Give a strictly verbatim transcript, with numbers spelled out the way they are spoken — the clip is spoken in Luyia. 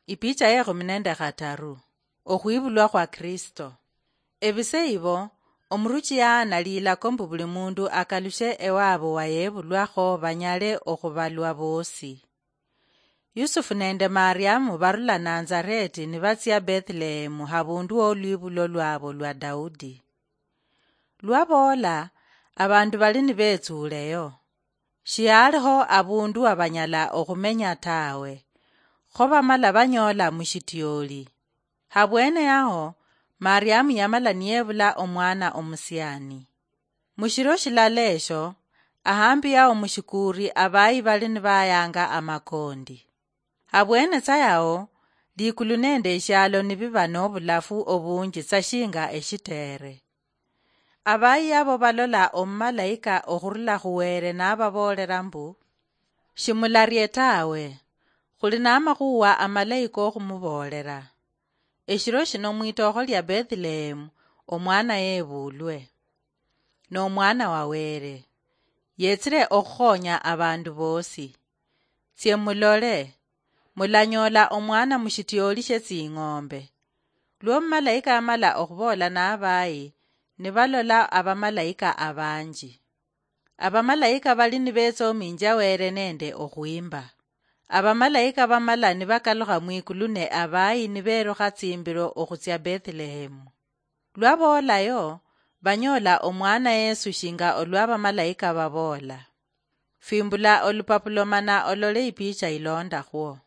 Ipicha ye khumi nende khataru. Okhwibulwa khwa Kristo. Ebise ibo, omuruchi yaana lilako mbu buli mundu akalushe ewabo wayebulwakho banyale okhubalwa bosi. Yusufu nende Mariamu barula Nazareti nibatsia Bethlehemu, habundu wolwibulo lwabo lwa Daudi. Lwaboola, abandu bali nibetsuleyo. Shialiho abundu wabanyala okhumenya tawe, kho bamala banyola mushitioli. Habwene yaho, Mariamu yamala niyebula omwana omusiani. Mushiro shilala esho, ahambi yaho mushikuri abayi bali nibayanga amakondi. Habwene tsa yaho, likulu nende eshialo nibiba nobulafu obunji tsa shinga eshitere. Abayi abo balola omumalaika okhurula khuwere nababoolera mbu, "Shimularie tawe, khuli namakhuwa amalayi kokhumuboolera. Eshiro shino mwitokho lia Bethlehemu omwana yebulwe, nomwana wa Were, yetsire okhukhonya abandu bosi. Tsie mulole, mulanyoola omwana mushitioli shie tsing'ombe." Lwo omumalaika amala okhuboola nabayi, nibalola abamalaika abanji. Abamalaika bali nibetsominjia Were nende okhwimba. Abamalaika bamala nibakalukha mwikulu ne abayi niberukha tsimbiro okhutsia Bethlehemu. Lwaboolayo, banyoola omwana Yesu shinga olwa abamalaika baboola. Fimbula olupapulo mana olole ipicha ilondakhwo.